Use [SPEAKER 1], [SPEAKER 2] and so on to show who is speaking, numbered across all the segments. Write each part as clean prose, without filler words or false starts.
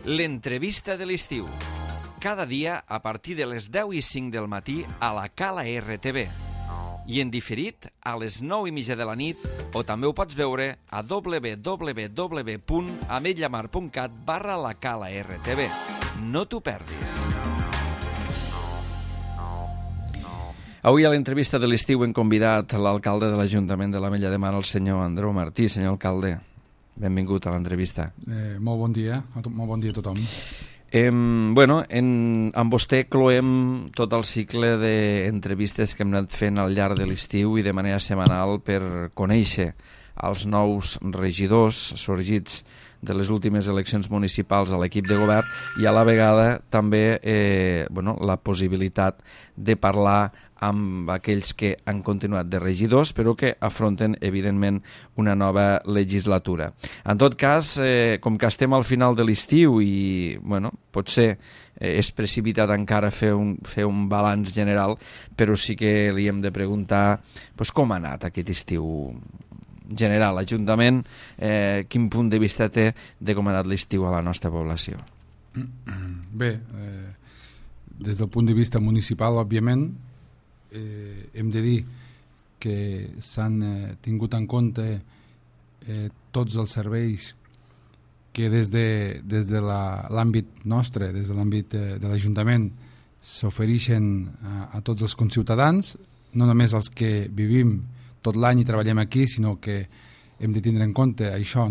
[SPEAKER 1] L'entrevista de l'estiu. Cada dia a partir de les 10:05 del matí a la Cala RTV. I en diferit a les 9:30 de la nit, o també ho pots veure a www.ametlllamar.cat/la Cala RTV. No t'ho perdis. Avui a l'entrevista de l'estiu hem convidat l'alcalde de l'Ajuntament de l'Ametlla de Mar, el senyor Andreu Martí. Senyor alcalde, benvingut a l'entrevista.
[SPEAKER 2] Molt bon dia a tothom.
[SPEAKER 1] Amb vostè cloem tot el cicle d'entrevistes que hem anat fent al llarg de l'estiu i de manera setmanal per conèixer els nous regidors sorgits de les últimes eleccions municipals a l'equip de govern i a la vegada també la possibilitat de parlar amb aquells que han continuat de regidors però que afronten evidentment una nova legislatura. En tot cas, com que estem al final de l'estiu i potser és precipitat encara fer un balanç general, però sí que li hem de preguntar com ha anat aquest estiu general, l'Ajuntament, quin punt de vista té de com ha anat l'estiu a la nostra població?
[SPEAKER 2] Bé, des del punt de vista municipal, òbviament, hem de dir que s'han tingut en compte tots els serveis que des de l'àmbit nostre, des de l'àmbit de l'Ajuntament, s'ofereixen a tots els conciutadans, no només els que vivim tot l'any i treballem aquí, sinó que hem de tindre en compte això,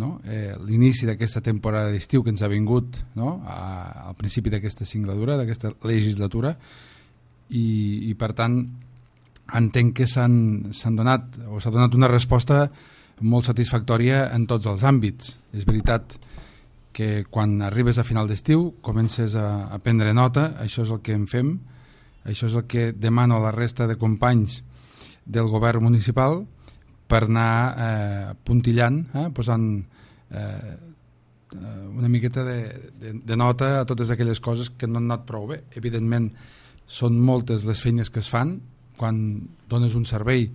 [SPEAKER 2] l'inici d'aquesta temporada d'estiu que ens ha vingut al principi d'aquesta singladura, d'aquesta legislatura, i per tant entenc que s'ha donat una resposta molt satisfactòria en tots els àmbits. És veritat que quan arribes a final d'estiu comences a prendre nota, això és el que en fem, això és el que demano a la resta de companys del govern municipal per anar puntillant, posant una miqueta de nota a totes aquelles coses que no han anat prou bé. Evidentment són moltes les feines que es fan quan dones un servei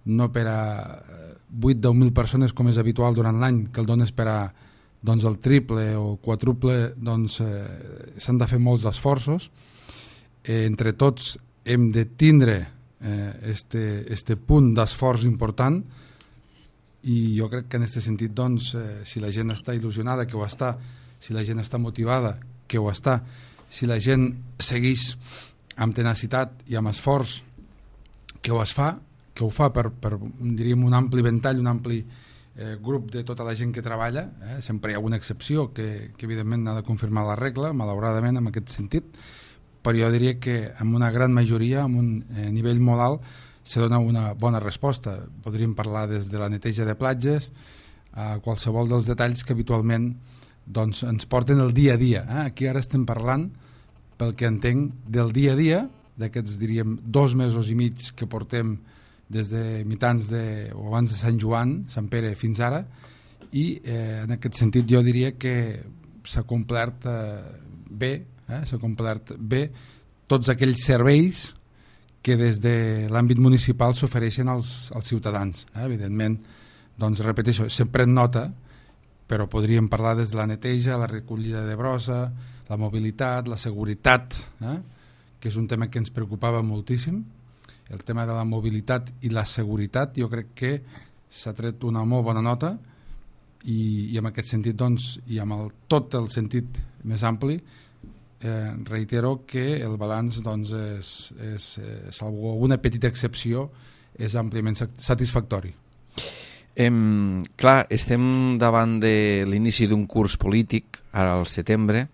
[SPEAKER 2] no per a 8-10.000 persones com és habitual durant l'any, que el dones per a el triple o el quadruple, s'han de fer molts esforços. Entre tots hem de tindre este punt d'esforç important i jo crec que en aquest sentit si la gent està il·lusionada, que ho està, si la gent està motivada, que ho està, si la gent segueix amb tenacitat i amb esforç, que ho fa per diríem un ampli ventall, un ampli grup de tota la gent que treballa, sempre hi ha alguna excepció que evidentment ha de confirmar la regla, malauradament en aquest sentit, però jo diria que amb una gran majoria, amb un nivell molt alt, se dona una bona resposta. Podríem parlar des de la neteja de platges a qualsevol dels detalls que habitualment ens porten el dia a dia. Aquí ara estem parlant, pel que entenc, del dia a dia, d'aquests, diríem, 2 mesos i mig que portem des de mitjans o abans de Sant Joan, Sant Pere, fins ara, i en aquest sentit jo diria que s'ha complert bé, s'ha complert bé tots aquells serveis que des de l'àmbit municipal s'ofereixen als ciutadans. Evidentment, repeteixo, sempre en nota, però podríem parlar des de la neteja, la recollida de brossa, la mobilitat, la seguretat, que és un tema que ens preocupava moltíssim. El tema de la mobilitat i la seguretat jo crec que s'ha tret una molt bona nota i en aquest sentit i amb tot el sentit més ampli reitero que el balanç salvo una petita excepció és àmpliament satisfactori.
[SPEAKER 1] Clar, estem davant de l'inici d'un curs polític ara al setembre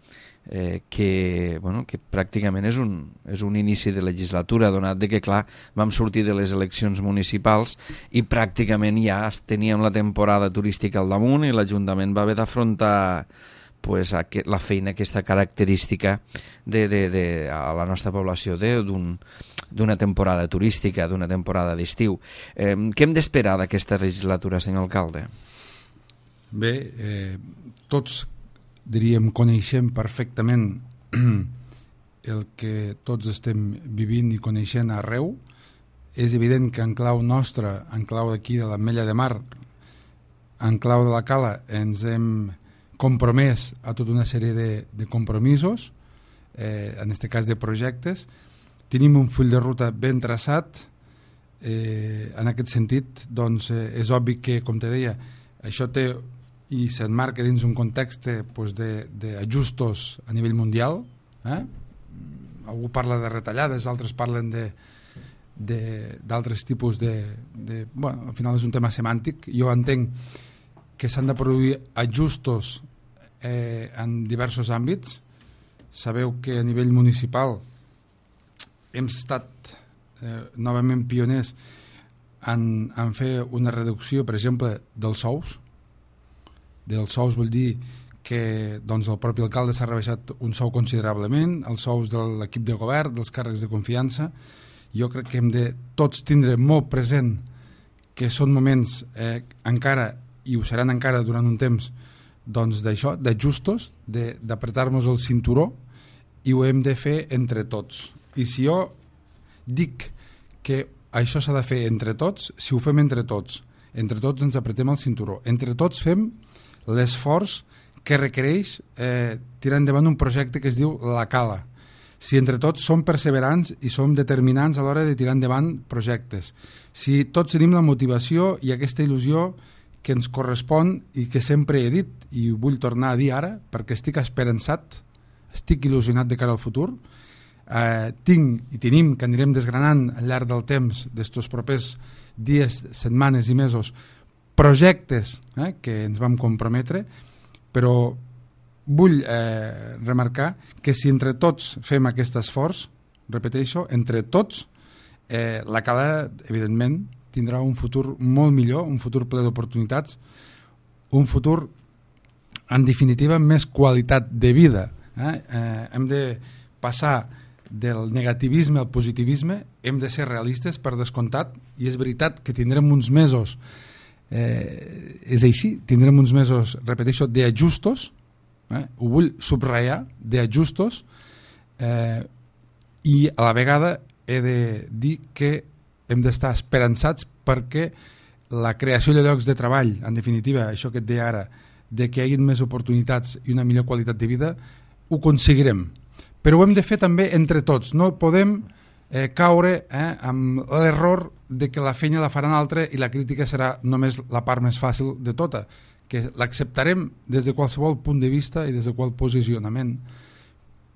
[SPEAKER 1] que pràcticament és un inici de legislatura, donat de que clar, vam sortir de les eleccions municipals i pràcticament ja teníem la temporada turística al damunt i l'Ajuntament va haver d'afrontar la feina aquesta característica a la nostra població d'una temporada turística, d'una temporada d'estiu. Què hem d'esperar d'aquesta legislatura, senyor alcalde?
[SPEAKER 2] Bé, tots diríem coneixem perfectament el que tots estem vivint i coneixent arreu. És evident que en clau nostra, en clau d'aquí de l'Ametlla de Mar, en clau de la Cala, ens hem compromès a tota una sèrie de compromisos, en aquest cas de projectes. Tenim un full de ruta ben traçat. En aquest sentit, doncs, és obvi que, com te deia, això té i s'emmarca dins un context d'ajustos a nivell mundial. Algú parla de retallades, altres parlen d'altres tipus bueno, al final és un tema semàntic. Jo entenc que s'han de produir ajustos en diversos àmbits. Sabeu que a nivell municipal hem estat novament pioners en fer una reducció, per exemple, dels sous. Dels sous vol dir que doncs, el propi alcalde s'ha rebaixat un sou considerablement, els sous de l'equip de govern, dels càrrecs de confiança. Jo crec que hem de tots tindre molt present que són moments encara, i ho seran encara durant un temps, doncs d'això, d'ajustos, d'apretar-nos el cinturó, i ho hem de fer entre tots. I si jo dic que això s'ha de fer entre tots, si ho fem entre tots ens apretem el cinturó, entre tots fem l'esforç que requereix tirar endavant un projecte que es diu La Cala. Si entre tots som perseverants i som determinants a l'hora de tirar endavant projectes, si tots tenim la motivació i aquesta il·lusió que ens correspon i que sempre he dit i vull tornar a dir ara perquè estic esperançat, estic il·lusionat de cara al futur, tinc i tenim, que anirem desgranant al llarg del temps d'estos propers dies, setmanes i mesos, projectes que ens vam comprometre, però vull remarcar que si entre tots fem aquest esforç, repeteixo, entre tots, la Cala, evidentment, tindrà un futur molt millor, un futur ple d'oportunitats, un futur, en definitiva, amb més qualitat de vida. Hem de passar del negativisme al positivisme, hem de ser realistes per descomptat, i és veritat que tindrem uns mesos, és així, tindrem uns mesos, repeteixo, d'ajustos, ho vull subratllar, d'ajustos, i a la vegada he de dir que hem d'estar esperançats perquè la creació de llocs de treball, en definitiva, això que et deia ara, de que hi hagi més oportunitats i una millor qualitat de vida, ho aconseguirem. Però ho hem de fer també entre tots. No podem caure amb l'error de que la feina la farà un altre i la crítica serà només la part més fàcil de tota, que l'acceptarem des de qualsevol punt de vista i des de qual posicionament.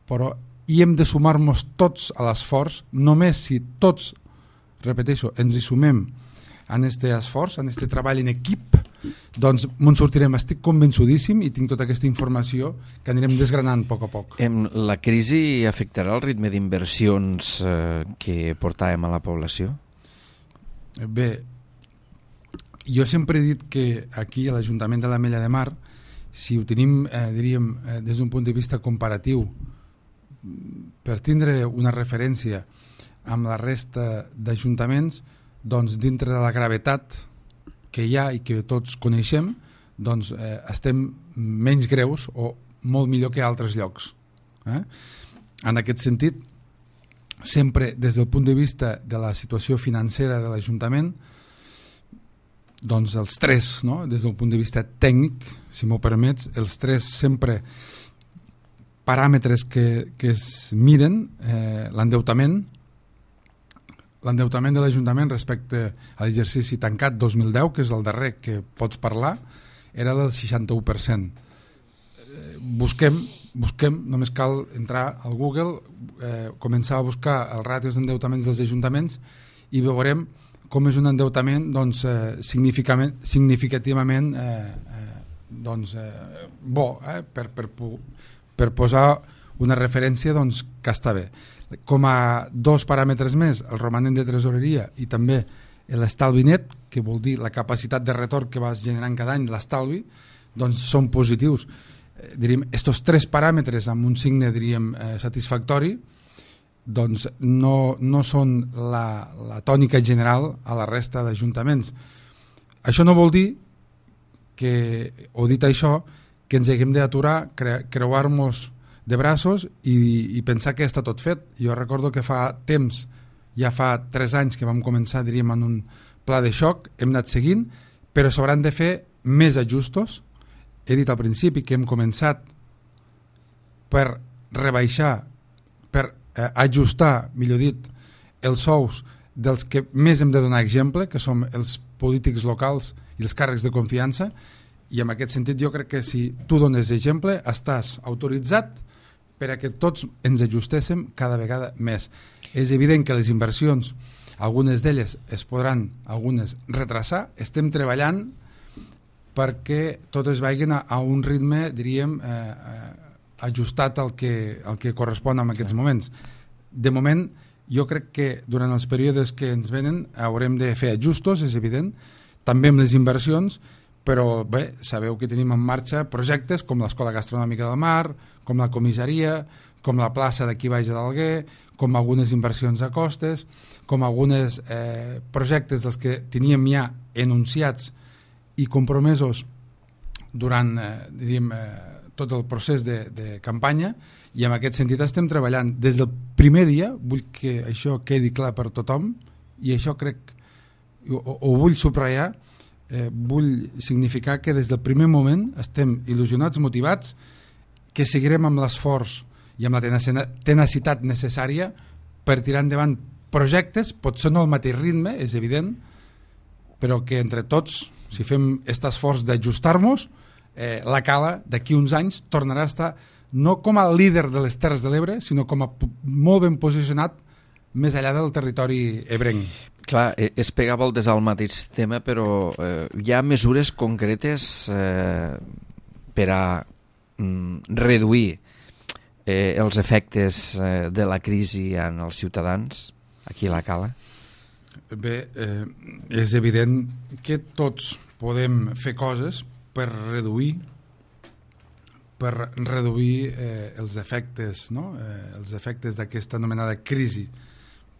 [SPEAKER 2] Però hi hem de sumar-nos tots a l'esforç, només si tots, repeteixo, ens hi sumem en aquest esforç, en aquest treball en equip, doncs me'n sortirem. Estic convençudíssim i tinc tota aquesta informació que anirem desgranant a poc a poc.
[SPEAKER 1] La crisi afectarà el ritme d'inversions que portàvem a la població?
[SPEAKER 2] Bé, jo sempre he dit que aquí a l'Ajuntament de l'Ametlla de Mar, si ho tenim, diríem, des d'un punt de vista comparatiu, per tindre una referència amb la resta d'ajuntaments, doncs dintre de la gravetat que hi ha i que tots coneixem, doncs estem menys greus o molt millor que altres llocs. En aquest sentit, sempre des del punt de vista de la situació financera de l'Ajuntament, doncs els tres, no? Des del punt de vista tècnic, si m'ho permets, els tres sempre paràmetres que es miren, l'endeutament de l'Ajuntament respecte a l'exercici tancat 2010, que és el darrer que pots parlar, era del 61%. Busquem, només cal entrar al Google, començar a buscar els ràtios d'endeutaments dels ajuntaments i veurem com és un endeutament doncs, significativament bo, per posar una referència doncs, que està bé. Com a dos paràmetres més, el romanent de tresoreria i també l'estalvi net, que vol dir la capacitat de retorn que vas generant cada any, l'estalvi, doncs són positius. Diríem, estos tres paràmetres amb un signe, diríem, satisfactori, doncs no són la tònica general a la resta d'ajuntaments. Això no vol dir que, o dit això, que ens haguem d'aturar, creuar-nos de braços i pensar que està tot fet. Jo recordo que fa temps, ja fa 3 anys que vam començar, diríem, en un pla de xoc, hem anat seguint, però s'hauran de fer més ajustos he dit al principi que hem començat per rebaixar, per ajustar, millor dit, els sous dels que més hem de donar exemple, que som els polítics locals i els càrrecs de confiança, i en aquest sentit jo crec que si tu dones exemple estàs autoritzat per a que tots ens ajustéssim cada vegada més. És evident que les inversions, algunes d'elles es podran, algunes retrasar, estem treballant perquè totes vagin a un ritme, diríem, ajustat al que correspon en aquests moments. De moment, jo crec que durant els períodes que ens venen haurem de fer ajustos, és evident, també amb les inversions, però bé, sabeu que tenim en marxa projectes com l'Escola Gastronòmica del Mar, com la comissaria, com la plaça d'aquí baix d'Alguer, com algunes inversions a costes, com alguns projectes dels que teníem ja enunciats i compromesos durant diríem, tot el procés de campanya, i en aquest sentit estem treballant des del primer dia. Vull que això quedi clar per tothom, i això crec, ho vull subratllar, vull significar que des del primer moment estem il·lusionats, motivats, que seguirem amb l'esforç i amb la tenacitat necessària per tirar endavant projectes, potser no al mateix ritme, és evident, però que entre tots, si fem aquest esforç d'ajustar-nos, la Cala d'aquí uns anys tornarà a estar no com a líder de les Terres de l'Ebre, sinó com a molt ben posicionat més enllà del territori ebrenc.
[SPEAKER 1] Clar, es pega voltes al mateix tema, però hi ha mesures concretes per a reduir els efectes de la crisi en els ciutadans aquí a la Cala?
[SPEAKER 2] Bé, és evident que tots podem fer coses per reduir els efectes, no? Els efectes d'aquesta anomenada crisi.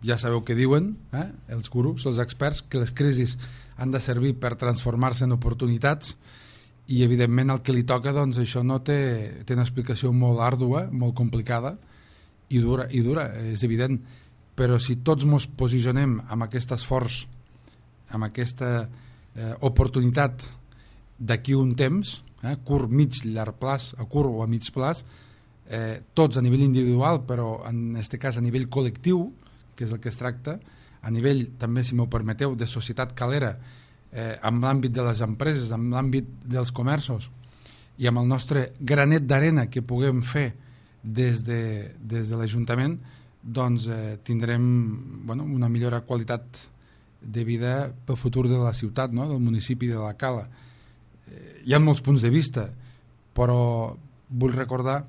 [SPEAKER 2] Ja sabeu què diuen els gurus, els experts, que les crisis han de servir per transformar-se en oportunitats, i evidentment el que li toca, doncs això no té una explicació molt àrdua, molt complicada i dura, és evident, però si tots ens posicionem amb aquest esforç, amb aquesta oportunitat d'aquí un temps, curt, mig, llarg plaç, a curt o a mig plaç, tots a nivell individual, però en aquest cas a nivell col·lectiu, que és el que es tracta, a nivell també, si m'ho permeteu, de societat calera, amb l'àmbit de les empreses, amb l'àmbit dels comerços, i amb el nostre granet d'arena que puguem fer des de l'Ajuntament, doncs tindrem una millora qualitat de vida pel futur de la ciutat, no? Del municipi de la Cala. Hi ha molts punts de vista, però vull recordar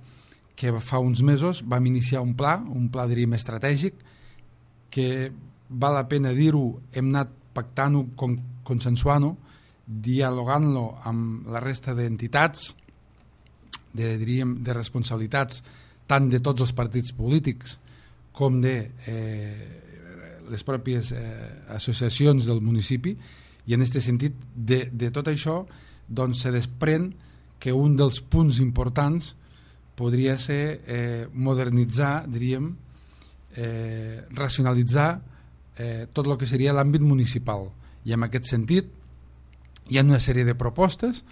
[SPEAKER 2] que fa uns mesos vam iniciar un pla diríem estratègic, que val la pena dir-ho, hem anat pactant-ho, consensuant-ho, dialogant-lo amb la resta d'entitats, de responsabilitats, tant de tots els partits polítics com de les pròpies associacions del municipi, i en aquest sentit, de tot això, doncs se desprèn que un dels punts importants podria ser modernitzar, diríem, racionalitzar tot el que seria l'àmbit municipal, i en aquest sentit hi ha una sèrie de propostes,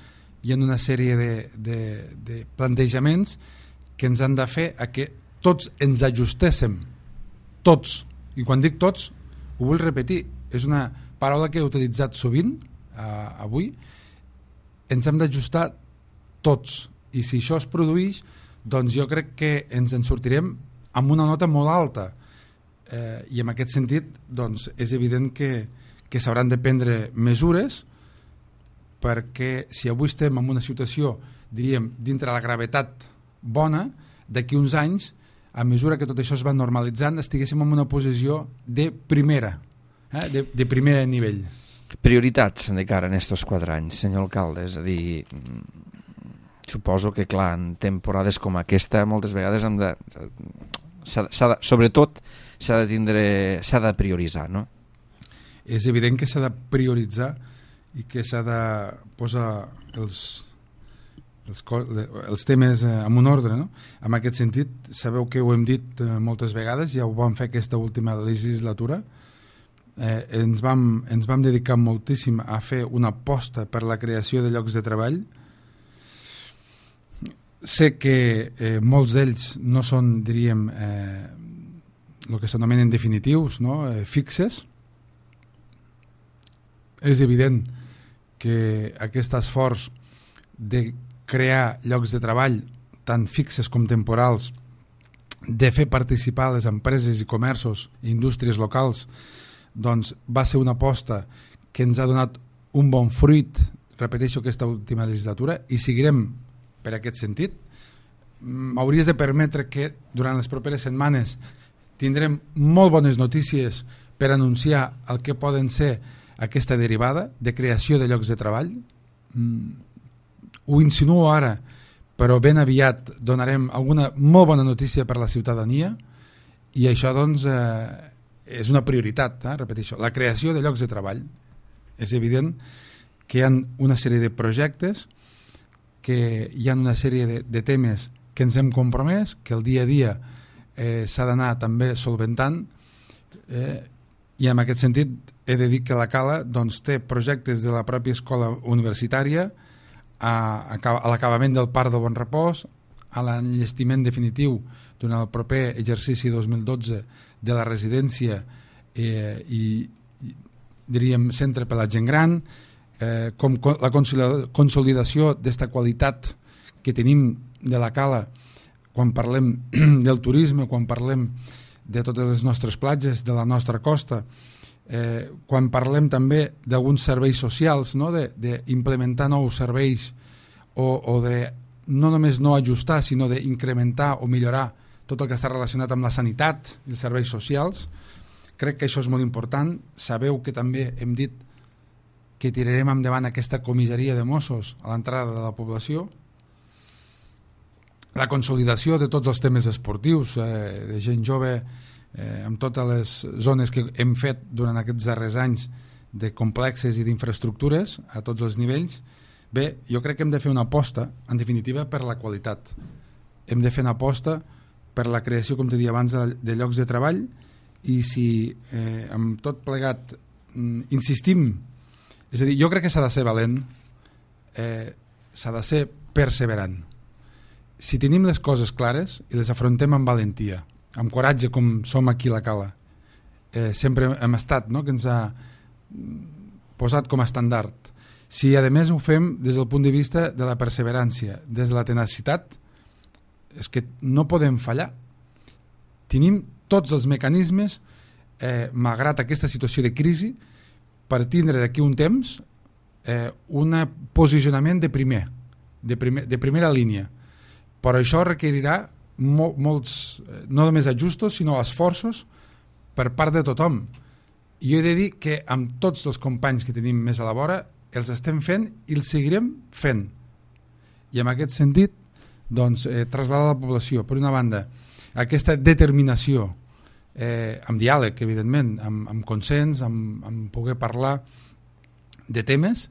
[SPEAKER 2] hi ha una sèrie de plantejaments que ens han de fer a que tots ens ajustéssim, tots, i quan dic tots ho vull repetir, és una paraula que he utilitzat sovint avui, ens hem d'ajustar tots, i si això es produeix, doncs jo crec que ens en sortirem amb una nota molt alta, i en aquest sentit doncs, és evident que s'hauran de prendre mesures, perquè si avui estem en una situació, diríem, dintre la gravetat bona, d'aquí uns anys, a mesura que tot això es va normalitzant, estiguéssim en una posició de primera, de primer nivell.
[SPEAKER 1] Prioritats de cara en aquests 4 anys, senyor alcalde, és a dir, suposo que clar, en temporades com aquesta moltes vegades sobretot s'ha de prioritzar, no?
[SPEAKER 2] És evident que s'ha de prioritzar i que s'ha de posar els temes en un ordre, no? En aquest sentit, sabeu que ho hem dit moltes vegades, ja ho vam fer aquesta última legislatura, ens vam dedicar moltíssim a fer una aposta per la creació de llocs de treball, sé que molts d'ells no són, diríem, el que s'anomenen definitius, no? Fixes. És evident que aquest esforç de crear llocs de treball tant fixes com temporals, de fer participar les empreses i comerços i indústries locals, doncs va ser una aposta que ens ha donat un bon fruit, repeteixo, aquesta última legislatura, i seguirem per aquest sentit. M'hauries de permetre que durant les properes setmanes tindrem molt bones notícies per anunciar el que poden ser aquesta derivada de creació de llocs de treball. Ho insinuo ara, però ben aviat donarem alguna molt bona notícia per a la ciutadania, i això doncs és una prioritat, repeteixo, la creació de llocs de treball. És evident que hi ha una sèrie de projectes, que hi ha una sèrie de temes que ens hem compromès, que el dia a dia s'ha d'anar també solventant, i en aquest sentit he de dir que la Cala doncs, té projectes de la pròpia escola universitària a l'acabament del Parc del Bon Repòs, a l'enllestiment definitiu durant el proper exercici 2012 de la residència i diríem centre per la gent gran, com la consolidació d'esta qualitat que tenim de la Cala quan parlem del turisme, quan parlem de totes les nostres platges, de la nostra costa, quan parlem també d'alguns serveis socials, no? D'implementar nous serveis o de no només no ajustar, sinó d'incrementar o millorar tot el que està relacionat amb la sanitat i els serveis socials. Crec que això és molt important. Sabeu que també hem dit que tirarem endavant aquesta comissaria de Mossos a l'entrada de la població. La consolidació de tots els temes esportius, de gent jove, amb totes les zones que hem fet durant aquests darrers anys de complexes i d'infraestructures a tots els nivells. Bé, jo crec que hem de fer una aposta, en definitiva, per la qualitat. Hem de fer una aposta per la creació, com t'he dit abans, de llocs de treball, i si amb tot plegat insistim, és a dir, jo crec que s'ha de ser valent, s'ha de ser perseverant. Si tenim les coses clares i les afrontem amb valentia, amb coratge, com som aquí a la Cala, sempre hem estat, no?, que ens ha posat com a estandard. Si a més ho fem des del punt de vista de la perseverància, des de la tenacitat, és que no podem fallar. Tenim tots els mecanismes, malgrat aquesta situació de crisi, per tindre d'aquí un temps un posicionament de primera línia. Però això requerirà molts, no només ajustos, sinó esforços per part de tothom. I jo he de dir que amb tots els companys que tenim més a la vora els estem fent i els seguirem fent. I en aquest sentit, doncs, traslladar a la població, per una banda, aquesta determinació, amb diàleg, evidentment, amb consens, amb poder parlar de temes,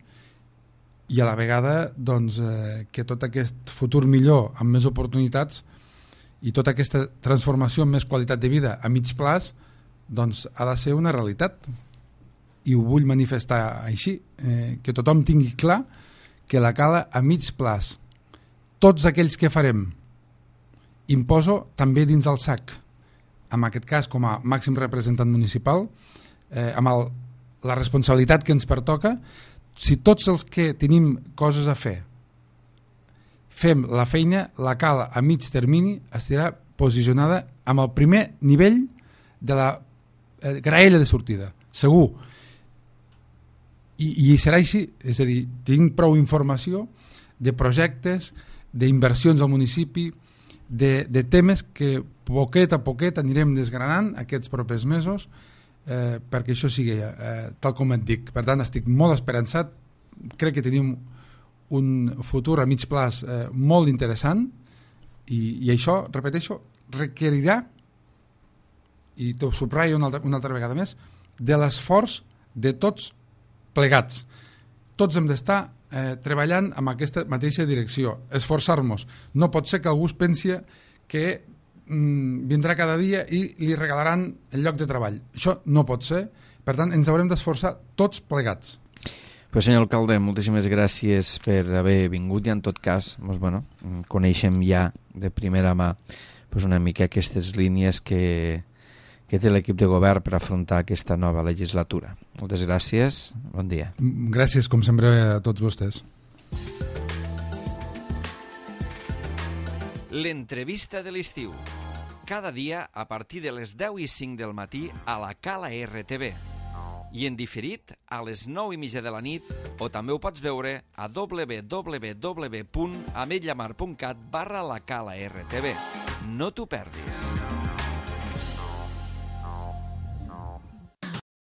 [SPEAKER 2] i a la vegada doncs, que tot aquest futur millor, amb més oportunitats, i tota aquesta transformació amb més qualitat de vida a mig plaç, doncs ha de ser una realitat. I ho vull manifestar així, que tothom tingui clar que la Cala a mig plaç, tots aquells que farem, imposo també dins el SAC, en aquest cas com a màxim representant municipal, amb la responsabilitat que ens pertoca. Si tots els que tenim coses a fer fem la feina, la Cala a mig termini estarà posicionada amb el primer nivell de la graella de sortida, segur. I serà així, és a dir, tinc prou informació de projectes, d'inversions al municipi, de temes que poquet a poquet anirem desgranant aquests propers mesos, perquè això sigui tal com et dic. Per tant, estic molt esperançat, crec que tenim un futur a mig plaç molt interessant, i això, repeteixo, requerirà, i t'ho subratllo una altra vegada més, de l'esforç de tots plegats. Tots hem d'estar treballant amb aquesta mateixa direcció, esforçar-nos. No pot ser que algú es pensi que vindrà cada dia i li regalaran el lloc de treball. Això no pot ser. Per tant, ens haurem d'esforçar tots plegats.
[SPEAKER 1] Pues senyor alcalde, moltíssimes gràcies per haver vingut i en tot cas coneixem ja de primera mà una mica aquestes línies que té l'equip de govern per afrontar aquesta nova legislatura. Moltes gràcies, bon dia.
[SPEAKER 2] Gràcies, com sempre, a tots vostès.
[SPEAKER 1] L'entrevista de l'estiu. Cada dia a partir de les 10:05 del matí a la Cala RTV. I en diferit a les 9:30 de la nit, o també ho pots veure a www.ametlllamar.cat/la Cala RTV. No t'ho perdis.